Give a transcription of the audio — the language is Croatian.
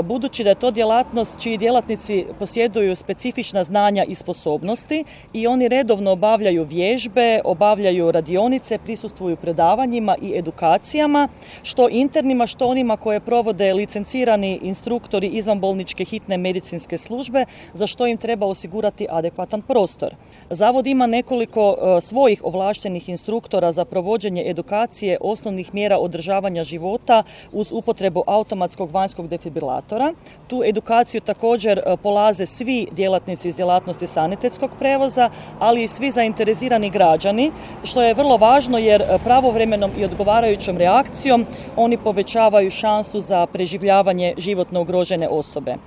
budući da je to djelatnost čiji djelatnici posjeduju specifična znanja i sposobnosti i oni redovno obavljaju vježbe, obavljaju radionice, prisustvuju predavanjima i edukacijama, što internima, što onima koje provode licencirani instruktori izvanbolničke hitne medicinske službe, za što im treba osigurati adekvatan prostor. Zavod ima nekoliko svojih ovlaštenih instruktora za provođenje edukacije osnovnih mjera održavanja života uz upotrebu automatskog vanjskog defibrilatora. Tu edukaciju također polaze svi djelatnici iz djelatnosti sanitetskog prijevoza, ali i svi zainteresirani građani, što je vrlo važno jer pravovremenom i odgovarajućom reakcijom oni povećavaju šansu za preživljavanje životno ugrožene osobe.